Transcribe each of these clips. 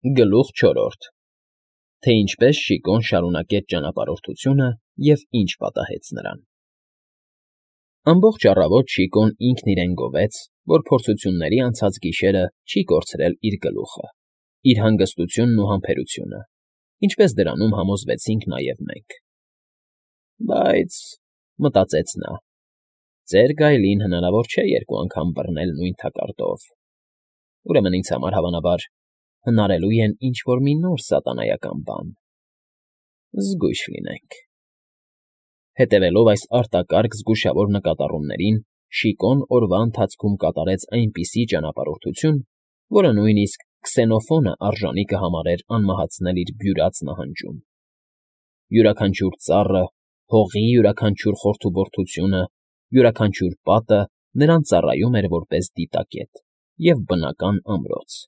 Գլուխ չորրորդ Թե ինչպես Շիկոն շարունակեց ճանապարհորդությունը և ինչ պատահեց նրան։ Ամբողջ առավոտ Շիկոն ինքն իրեն գովեց, որ փորձությունների անցած գիշերը չի կորցրել իր գլուխը, իր հանգստությունն ու համբերությունը, ինչպես դրանում համոզվեցինք նաև մենք։ Բայց, մտածեց նա, ծեր գայլին հնարավոր չէ երկու անգամ բռնել նույն թակարդով։ Ուրեմն ինձ համար հավանաբար հնարելու են ինչ֊որ մի նոր սատանայական բան։ Զգույշ լինենք։ Հետևելով այս արտակարգ զգուշավոր նկատառումներին, Շիկոն օրվա ընթացքում կատարեց այնպիսի ճանապարհորդություն, որը նույնիսկ Քսենոֆոնը արժանի կհամարեր անմահացնել իր բյուրած նահանջում։ Յուրաքանչյուր ծառը, հողի յուրաքանչյուր խորթուբորթությունը, յուրաքանչյուր պատը նրան ծառայում էր որպես դիտակետ և բնական ամրոց։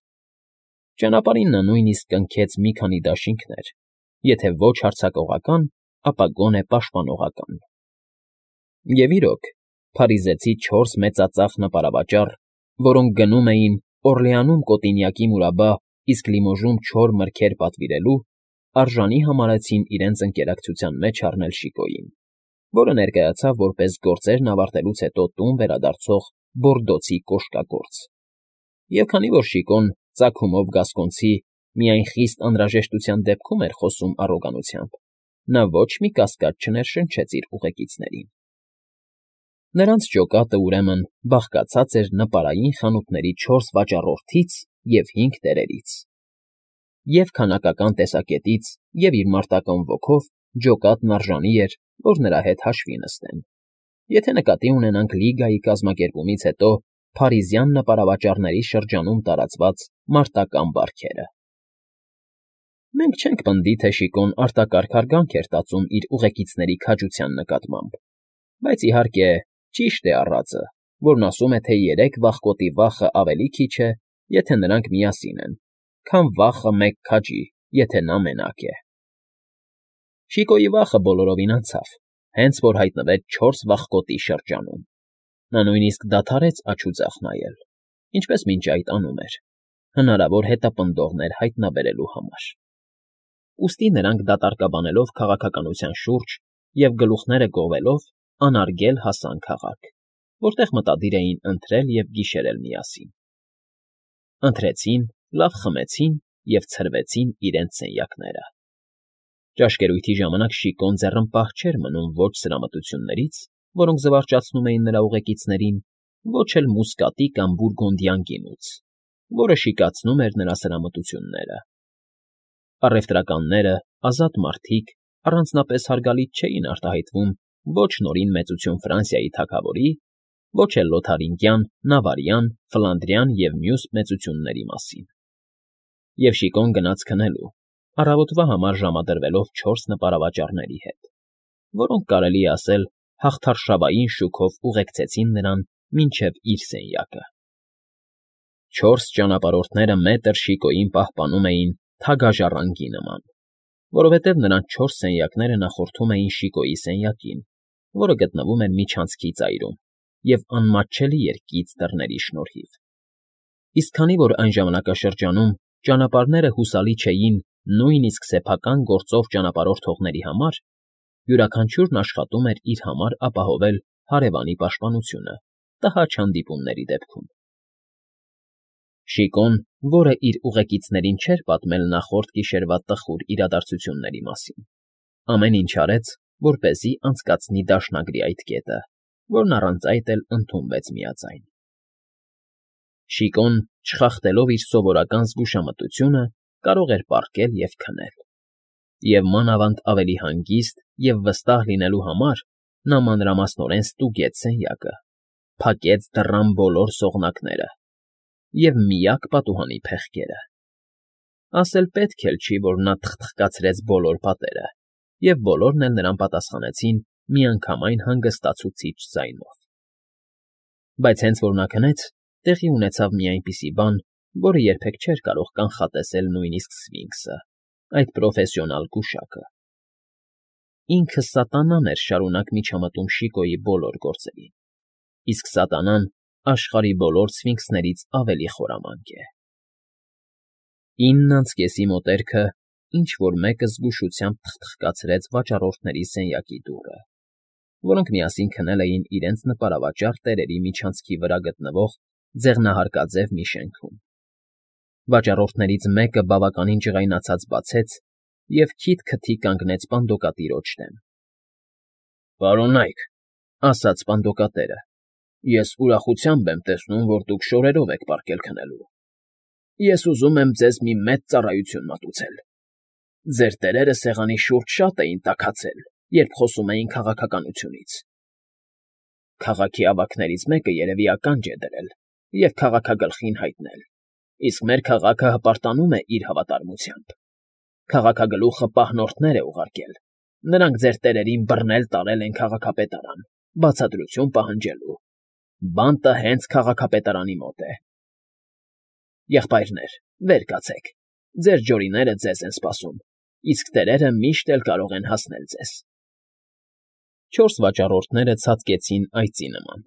Ճանապարհին նա նույնիսկ կնքեց մի քանի դաշինքներ, եթե ոչ հարձակողական, ապա գոնե պաշտպանողական։ Եվ իրոք, փարիզեցի 4 մեծածախ նպարավաճառ, որոնք գնում էին Օռլեանում կոտինյակի մուրաբա, իսկ Լիմոժում չոր մրգեր պատվիրելու, արժանի համարեցին իրենց ընկերակցության մեջ առնել Շիկոյին, որը ներկայացավ որպես գործերն ավարտելուց հետո տուն վերադարձող Բորդոցի կոշկագործ։ Եվ քանի որ Շիկոն ծագումով գասկոնցի միայն խիստ անհրաժեշտության դեպքում էր խոսում առոգանությամբ, նա ոչ մի կասկած չներշնչեց իր ուղեկիցներին։ Նրանց ջոկատը, ուրեմն, բաղկացած էր նպարային խանութների 4 վաճառորդից և 5 տերերից։ Եվ քանակական տեսակետից, և իր մարտական ոգով ջոկատն արժանի էր, որ նրա հետ հաշվի նստեն, եթե նկատի ունենանք լիգայի կազմակերպումից հետո փարիզյան նպարավաճառների շրջանում տարածված մարտական բարքերը։ Մենք չենք պնդի, թե Շիկոն արտակարգ հարգանք էր տածում իր ուղեկիցների քաջության նկատմամբ, բայց իհարկե ճիշտ է առածը, որն ասում է, թե 3 վախկոտի վախը ավելի քիչ է, եթե նրանք միասին են, քան վախը մեկ քաջի, եթե նա մենակ է։ Շիկոյի վախը բոլորովին անցավ, հենց որ հայտնվեց 4 վախկոտի շրջանում։ Նա նույնիսկ դադարեց աջ ու ձախ նայել, ինչպես մինչ այդ անում էր, հնարավոր հետապնդողներ հայտնաբերելու համար։ Ուստի նրանք դատարկաբանելով քաղաքականության շուրջ և գլուխները գովելով անարգել հասան քաղաք, որտեղ մտադիր էին ընթրել և գիշերել միասին։ Ընթրեցին, լավ խմեցին և ցրվեցին իրենց սենյակները։ Ճաշկերույթի ժամանակ Շիկոն ձեռնպահ չէր մնում ոչ սրամտություններից, որոնք զվարճացնում էին նրա ուղեկիցներին, ոչ էլ մուսկատի կամ բուրգունդյան գինուց, որը շիկացնում էր նրա սրամտությունները։ Առևտրականները, ազատ մարդիկ առանձնապես հարգալից չէին արտահայտվում ոչ Նորին Մեծություն Ֆրանսիայի թագավորի, ոչ էլ Լոթարինգյան, Նավարյան, Ֆլանդրյան և մյուս մեծությունների մասին։ Եվ Շիկոն գնաց քնելու, առավոտվա համար ժամադրվելով 4 նպարավաճառների հետ, որոնք, կարելի է ասել, հաղթարշավային շուքով ուղեկցեցին նրան մինչև իր սենյակը։ 4 ճանապարհորդները մետր Շիկոյին պահպանում էին թագաժառանգի նման, որովհետև նրանց 4 սենյակները նախորդում էին Շիկոյի սենյակին, որը գտնվում էր միջանցքի ծայրում և անմատչելի էր կից դռների շնորհիվ։ Իսկ քանի որ այն ժամանակաշրջանում ճանապարհները հուսալի չէին նույնիսկ սեփական գործով ճանապարհորդողների համար, յուրաքանչյուրն աշխատում էր իր համար ապահովել հարևանի պաշտպանությունը տհաճ հանդիպումների դեպքում։ Շիկոն, որը իր ուղեկիցներին չէր պատմել նախորդ գիշերվա տխուր իրադարձությունների մասին, ամեն ինչ արեց, որպեսզի անցկացնի դաշնագրի այդ կետը, որն առանց այդ էլ ընդունվեց միաձայն։ Շիկոն, չխախտելով իր սովորական զգուշամտությունը, կարող էր պառկել և քնել։ Եվ մանավանդ ավելի հանգիստ և վստահ լինելու համար նա մանրամասնորեն ստուգեց սենյակը, փակեց դռան բոլոր սողնակները և միակ պատուհանի փեղկերը։ Ասել պետք էլ չի, որ նա թխթխկացրեց բոլոր պատերը, և բոլորն էլ նրան պատասխանեցին միանգամայն հանգստացուցիչ ձայնով։ Բայց հենց որ նա քնեց, տեղի ունեցավ մի այնպիսի բան, որը երբեք չէր կարող կանխատեսել նույնիսկ Սֆինքսը, այդ պրոֆեսիոնալ գուշակը։ Ինքը սատանան էր շարունակ միջամտում Շիկոյի բոլոր գործերին, իսկ սատանան աշխարհի բոլոր սֆինքսներից ավելի խորամանկ է։ 9:30 մոտերքը ինչ-որ մեկը զգուշությամբ թխթխկացրեց վաճառորդների սենյակի դուռը, որոնք միասին քնել էին իրենց նպարավաճառ տերերի միջանցքի վրա գտնվող ձեղնահարկաձև մի շենքում։ Վաճառորդներից մեկը բավականին ջղայնացած բացեց և քիթ-քթի կանգնեց պանդոկատիրոջ դեմ։ «Պարոննա՛յք,֊ ասաց պանդոկատերը,֊ ես ուրախությամբ եմ տեսնում, որ դուք շորերով եք պառկել քնելու։ Ես ուզում եմ ձեզ մի մեծ ծառայություն մատուցել։ Ձեր տերերը սեղանի շուրջ շատ էին տաքացել, երբ խոսում էին քաղաքականությունից։ Քաղաքի ավագներից մեկը երևի ականջ է դրել և քաղաքագլխին հայտնել, իսկ մեր քաղաքը հպարտանում է իր հավատարմությամբ։ Քաղաքագլուխը պահնորդներ է ուղարկել, նրանք ձեր տերերին բռնել տարել են քաղաքապետարան, բացատրություն պահանջելու։ Բանտը հենց քաղաքապետարանի մոտ է։ Եղբայրներ, վեր կացեք, ձեր ջորիները ձեզ են սպասում, իսկ տերերը միշտ էլ կարող են հասնել ձեզ»։ 4 վաճառորդները ցատկեցին այծի նման,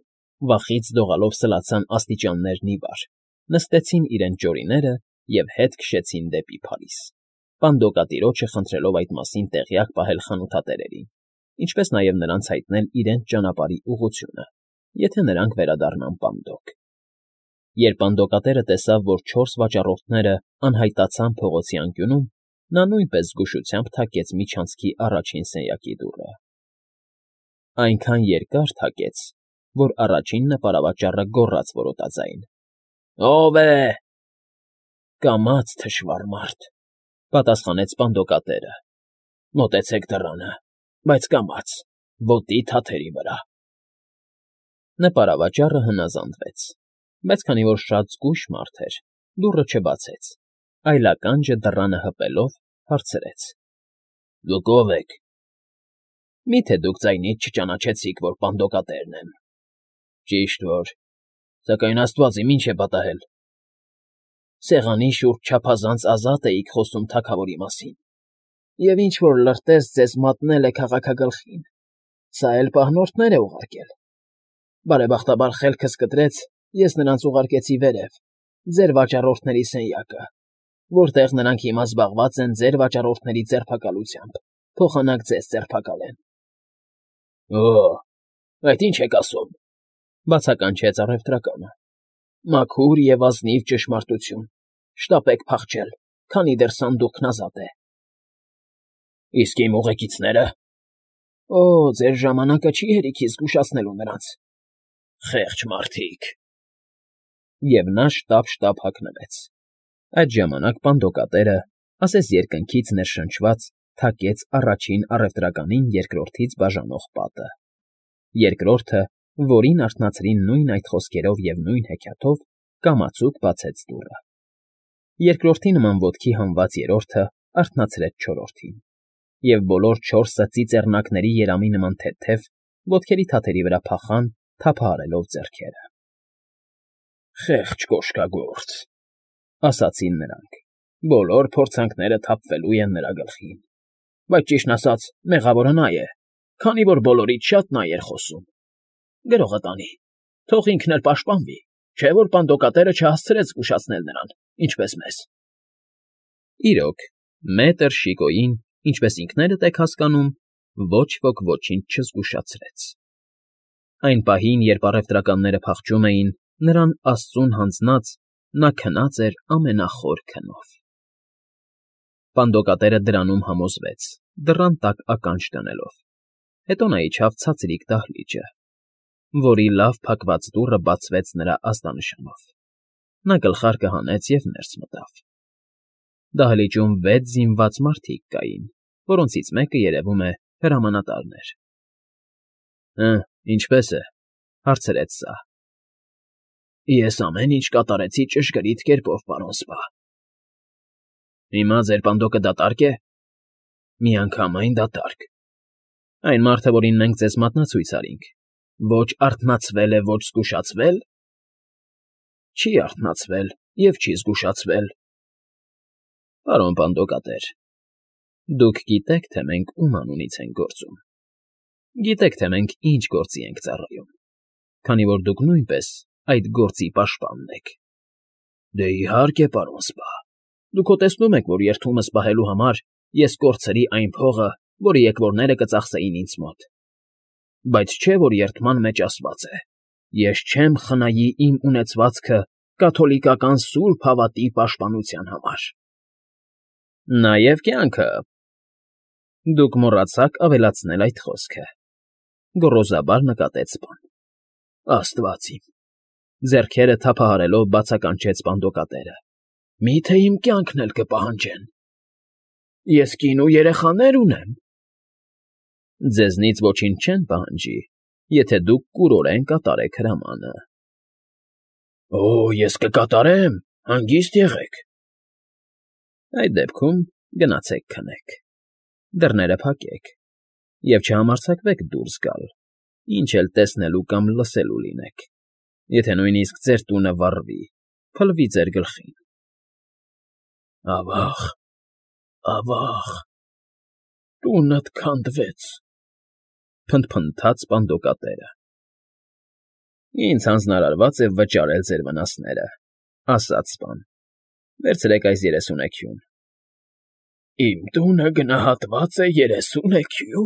վախից դողալով սլացան աստիճաններն ի վար, նստեցին իրենց ջորիները և հետ քշեցին դեպի Փարիզ, պանդոկատիրոջը խնդրելով այդ մասին տեղյակ պահել խանութատերերին, ինչպես նաև նրանց հայտնել իրենց ճանապարհի ուղղությունը, եթե նրանք վերադառնան Պանդոկ։ Երբ պանդոկատերը տեսավ, որ 4 վաճառորդները անհայտացան փողոցի անկյունում, նա նույնպես զգուշությամբ թակեց միջանցքի առաջին սենյակի դուռը։ Այնքան երկար թակեց, որ առաջին նպարավաճառը գոռաց որոտաձայն. «Ո՞վ է»։ «Կամաց, թշվառ մարդ,֊ պատասխանեց պանդոկատերը,֊ մոտեցեք դռանը, բայց կամաց, ոտի թաթերի վրա»։ Նպարավաճառը հնազանդվեց, բայց քանի որ շատ զգույշ մարդ էր, դուռը չբացեց, այլ ականջը դռանը հպելով հարցրեց. «Դուք ո՞վ եք»։ «Մի՞թե դուք ձայնից չճանաչեցիք, որ պանդոկատերն եմ»։ «Ճիշտ որ, սակայն աստված իմ ինչ է պատահել»։ «Սեղանի շուրջ չափազանց ազատ էիք խոսում թագավորի մասին, և ինչ֊որ լրտես ձեզ մատնել է քաղաքագլխին, սա էլ պահնորդներ է ուղարկել։ Բարեբախտաբար խելքս կտրեց, ես նրանց ուղարկեցի վերև, ձեր վաճառորդների սենյակը, որտեղ նրանք հիմա զբաղված են ձեր վաճառորդների ձերբակալությամբ, փոխանակ ձեզ ձերբակալեն»։ «Օ՜, այդ ի՞նչ եք ասում,֊ բացականչեց առևտրականը։ «Մաքուր և ազնիվ ճշմարտություն, շտապեք փախչել, քանի դեռ սանդուղքն ազատ է»։ «Իսկ իմ ուղեկիցները»։ «Օ, ձեր ժամանակը չի հերիքի զգուշացնելու նրանց։ Խեղճ մարդիկ»։ Եվ նա շտապ հագնվեց։ Այդ ժամանակ պանդոկատերը, ասես երկնքից ներշնչված, թակեց առաջին առևտրականին երկրորդից բաժանող պատը։ Երկրորդը, որին արթնացրին նույն այդ խոսքերով և նույն հեքիաթով, կամացուկ բացեց դուռը։ Երկրորդի նման ոտքի հանված երրորդը արթնացրեց չորրորդին, և բոլոր 4-ը ծիծեռնակների երամի նման թեթև, ոտքերի թաթերի վրա փախան, թափահարելով ձեռքերը։ «Խեղճ կոշկագործ,֊ ասացին նրանք,֊ բոլոր փորձանքները թափվելու են նրա գլխին։ Բայց ճիշտն ասած, մեղավորը նա է, քանի որ բոլորից շատ նա էր խոսում։ Գրողը տանի, թող ինքն էլ պաշտպանվի, չէ՞ որ պանդոկատերը չհասցրեց զգուշացնել նրան, ինչպես մեզ»։ Իրոք, մետր Շիկոյին, ինչպես ինքներդ եք հասկանում, ոչ ոք ոչինչ չզգուշացրեց։ Այն պահին, երբ առևտրականները փախչում էին, նրան աստծուն հանձնած, նա քնած էր ամենախոր քնով։ Պանդոկատերը դրանում համոզվեց, դռան տակ ականջ դնելով, հետո նա իջավ ցածրիկ դահլիճը, որի լավ փակված դուռը բացվեց նրա ազդանշանով։ Նա գլխարկը հանեց և ներս մտավ։ Դահլիճում 6 զինված մարդիկ կային, որոնցից մեկը, երևում է, հրամանատարն էր։ Ինչպե՞ս է,֊ հարցրեց սա։ «Ես ամեն ինչ կատարեցի ճշգրիտ կերպով, պարոն սպա»։ «Հիմա ձեր պանդոկը դատարկ է»։ «Միանգամայն դատարկ։ Այն մարդը, որին մենք ձեզ մատնացույց արինք, ոչ արթնացվել է, ոչ զգուշացվել»։ «Չի արթնացվել և չի զգուշացվել»։ «Պարոն պանդոկատեր, դուք գիտեք, թե մենք ում անունից ենք գործում, գիտեք, թե մենք ինչ գործի ենք ծառայում, քանի որ դուք նույնպես այդ գործի պաշտպանն եք»։ «Դե, իհարկե, պարոն սպա, Դուք հո տեսնում եք, որ երդումս պահելու համար ես կորցրի այն փողը, որը եկվորները կծախսեին ինձ մոտ։ Բայց չէ, որ երդման մեջ ասված է. ես չեմ խնայի իմ ունեցվածքը կաթոլիկական սուրբ հավատի պաշտպանության համար։ Նաև կյանքը։ Դուք մոռացաք ավելացնել այդ խոսքը, գոռոզաբար նկատեց Սպան։ Աստված իմ, ձեռքերը թափահարելով բացականչեց Պանդոկատերը։ Մի՞թե իմ կյանքն էլ կպահանջեն։ Ես կին ու երեխաներ ունեմ։ Ձեզնից ոչինչ չեն պահանջի, եթե դուք կուրորեն կատարեք հրամանը։ Օ, ես կկատարեմ, հանգիստ եղեք։ Այդ դեպքում գնացեք քնեք, դռները փակեք և չհամարձակվեք դուրս գալ, ինչ էլ տեսնելու կամ լսելու լինեք, եթե նույնիսկ ձեր տունը վառվի, փլվի ձեր գլխին։ Ավա՜ղ, ավա՜ղ, տունդ քանդվեց, փնթփնթաց Պանդոկատերը։ Ինձ հանձնարարված է վճարել ձեր վնասները, ասաց Սպան։ Վերցրեք այս 30 էքյուն։ Իմ տունը գնահատված է 30 էքյու։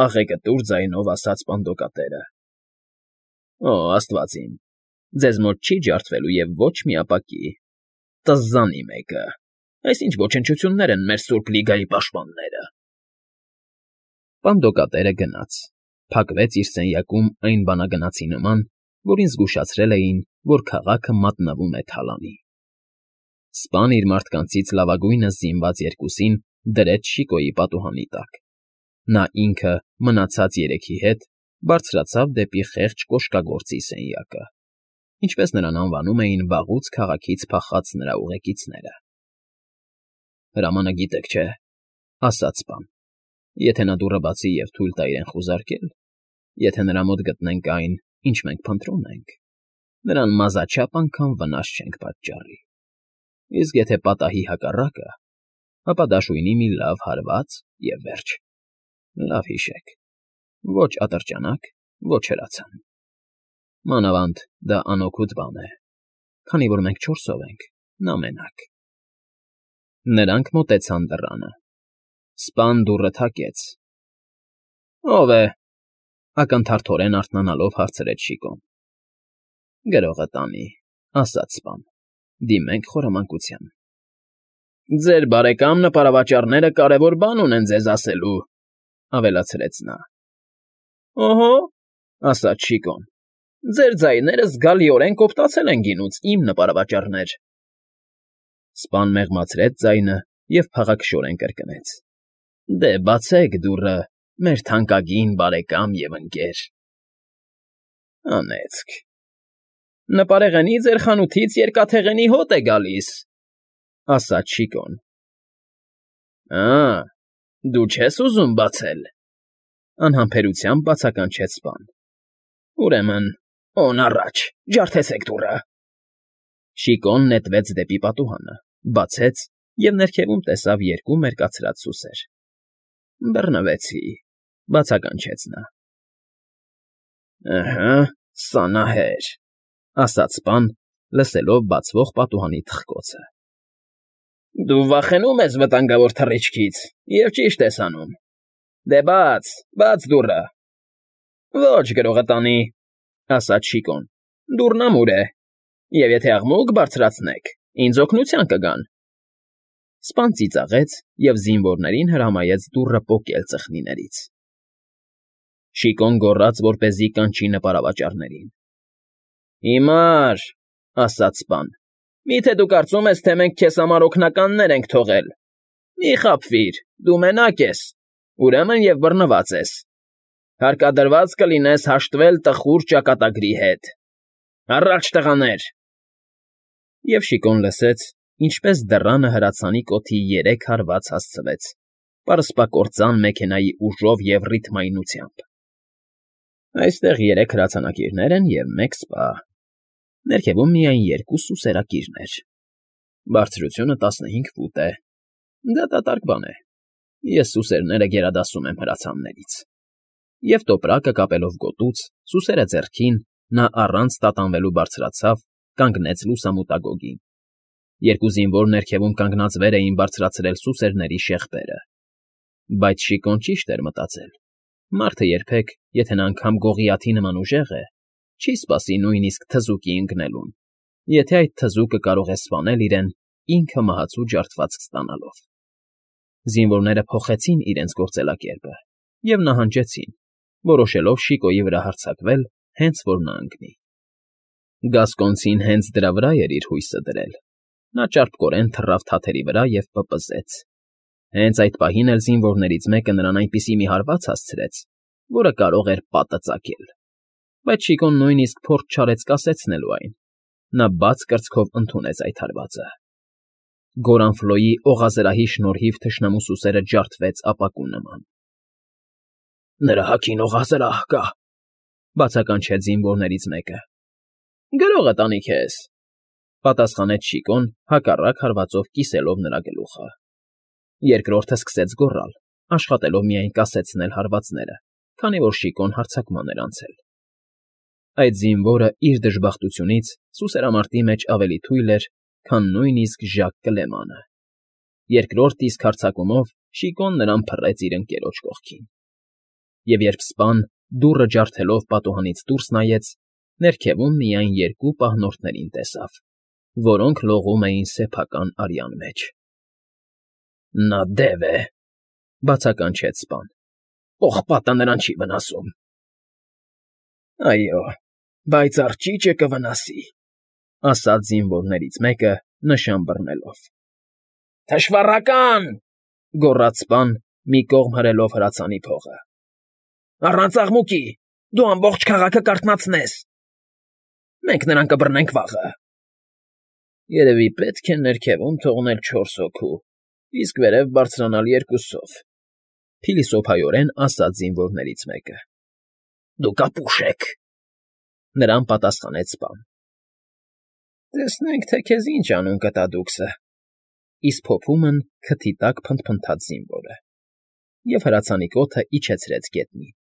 Աղեկտուր ձայնով ասաց Պանդոկատերը։ Օ, աստված իմ, ձեզ մոտ չի ջարդվելու և ոչ մի ապակի։ Տզզանի մեկը։ Այս ինչ ոչնչություններ են մեր Սուրբ Լիգայի պաշտպանները։ Պանդոկատերը գնաց, փակվեց իր սենյակում այն բանագնացի նման, որին զգուշացրել էին, որ քաղաքը մատնվում է թալանի։ Սպան իր մարդկանցից լավագույնս զինված երկուսին դրեց Շիկոյի պատուհանի տակ։ Նա ինքը մնացած երեքի հետ բարձրացավ դեպի խեղճ կոշկագործի սենյակը, ինչպես նրան անվանում էին վաղուց քաղաքից փախած նրա ուղեկիցները։ Հրամանը գիտեք, չէ՞, ասաց Սպան։ Եթե նա դուռը բացի և թույլ տա իրեն խուզարկել, եթե նրա մոտ գտնենք այն, ինչ մենք փնտրում ենք, նրան մազաչափ անգամ վնաս չենք պատճառի։ Իսկ եթե պատահի հակառակը, ապա դաշույնի մի լավ հարված և վերջ։ Լավ հիշեք, ոչ ատրճանակ, ոչ հրացան։ Մանավանդ դա անօգուտ բան է, քանի որ մենք 4-ով ենք, նա մենակ։ Նրանք մոտեցան դռանը։ Սպան դուռը թակեց։ Ո՞վ է,֊ ակնթարթորեն արթնանալով հարցրեց Շիկոն։ Գրողը տանի, ասաց Սպան, դիմենք խորամանկության։ Ձեր բարեկամ նպարավաճառները կարևոր բան ունեն ձեզ ասելու, ավելացրեց նա։ Օհո, ասաց Շիկոն, ձեր ձայները զգալիորեն կոպտացել են գինուց, իմ նպարավաճառներ։ Սպան մեղմացրեց ձայնը և փաղաքշորեն կրկնեց. Դե բացեք դուռը, մեր թանկագին բարեկամ և ընկեր։ Անեծք։ Նպարեղենի ձեր խանութից երկաթեղենի հոտ է գալիս, ասաց Շիկոն։ Դու չես ուզում բացել,֊ անհամբերությամբ բացականչեց Սպան։ Ուրեմն, օն առաջ, ջարդեցեք դուռը։ Շիկոն նետվեց դեպի պատուհանը, բացեց և ներքևում տեսավ երկու մերկացրած սուսեր։ Բռնվեցի,֊ բացականչեց նա։ Ըհը, սանահեր,֊ ասաց Սպան, լսելով բացվող պատուհանի թխկոցը։ Դու վախենում ես վտանգավոր թռիչքից և ճիշտ ես անում։ Դե բաց դուռը։ Ոչ, գրողը տանի, ասաց Շիկոն, դուռն ամուր է, և եթե աղմուկ բարձրացնեք, ինձ օգնության կգան։ Սպան ծիծաղեց և զինվորներին հրամայեց դուռը պոկել ծխնիներից։ Շիկոն գոռաց, որպեսզի կանչի նպարավաճառներին։ Հիմար,֊ ասաց Սպան, միթե դու կարծում ես, թե մենք քեզ համար օգնականներ ենք թողել։ Մի խաբվիր, դու մենակ ես, ուրեմն և բռնված ես։ Հարկադրված կլինես հաշտվել տխուր ճակատագրի հետ։ Առաջ, տղաներ… Եվ Շիկոն լսեց, ինչպես դռանը հրացանի կոթի 3 հարված հասցվեց, պարսպակործան մեքենայի ուժով և ռիթմայնությամբ։ Այստեղ 3 հրացանակիրներ են և 1 սպա։ Ներքևում միայն 2 սուսերակիրներ։ Բարձրությունը 15 ֆուտ է։ Դա դատարկ բան է։ Ես սուսերները գերադասում եմ հրացաններից։ Եվ տոպրակը կապելով գոտուց, սուսերը ձեռքին, նա առանց տատանվելու բարձրացավ, կանգնեց լուսամուտագոգին։ Երկու զինվոր ներքևում կանգնած վեր էին բարձրացրել սուսերների շեղբերը։ Բայց Շիկոն ճիշտ էր մտածել. մարդը երբեք, եթե նա անգամ գողիաթի նման ուժեղ է, չի սպասի նույնիսկ թզուկի ընկնելուն, եթե այդ թզուկը կարող է սպանել իրեն ինքը մահացու ջարդվածք ստանալով։ Զինվորները փոխեցին իրենց գործելակերպը և նահանջեցին, որոշելով Շիկոյի վրա հարձակվել, հենց որ նա ընկնի։ Գասկոնցին հենց դրա վրա էր իր հույսը դրել։ Նա ճարպկորեն թռավ թաթերի վրա և պպզեց։ Հենց այդ պահին էլ զինվորներից մեկը նրան այնպիսի մի հարված հասցրեց, որը կարող էր պատը ծակել։ Բայց Շիկոն նույնիսկ փորձ չարեց կասեցնելու այն։ Նա բաց կրծքով ընդունեց այդ հարվածը։ Գորանֆլոյի օղազրահի շնորհիվ թշնամու սուսերը ջարդվեց ապակու նման։ Նրա հագին օղազրահ կա, բացականչեց զինվորներից մեկը։ Գրողը տանի քեզ, պատասխանեց Շիկոն հակառակ հարվածով կիսելով նրա գլուխը։ Երկրորդը սկսեց գոռալ, աշխատելով միայն կասեցնել հարվածները, քանի որ Շիկոն հարձակման էր անցել։ Այդ զինվորը իր դժբախտությունից սուսերամարտի մեջ ավելի թույլ էր, քան նույնիսկ Ժակ Կլեմանը։ Երկրորդ իսկ հարձակումով Շիկոն նրան փռեց իր ընկերոջ կողքին։ Եվ երբ սպան դուռը ջարդելով պատուհանից դուրս նայեց, ներքևում միայն երկու պահնորդներին տեսավ, որոնք լողում էին սեփական արյան մեջ։ Նա դև է, բացականչեց սպան։ Պողպատը նրան չի վնասում։ Այո, բայց արճիճը կվնասի, ասաց զինվորներից մեկը, նշան բռնելով։ Թշվառական, գոռաց սպան, մի կողմ հրելով հրացանի փողը։ Առանց աղմուկի, դու ամբողջ քաղաքը կարթնացնես։ Մենք նրան կբռնենք վաղը։ Երևի պետք է ներքևում թողնել 4 հոգու, իսկ վերև բարձրանալ 2-ով, փիլիսոփայորեն ասաց զինվորներից մեկը։ Դուք ապուշ եք, նրան պատասխանեց սպան։ Տեսնենք, թե քեզ ինչ անուն կտա դուքսը, իսկ փոփումն քթի տակ փնթփնթաց զինվորը, և հրացանի կոթը իջեցրեց գետնին։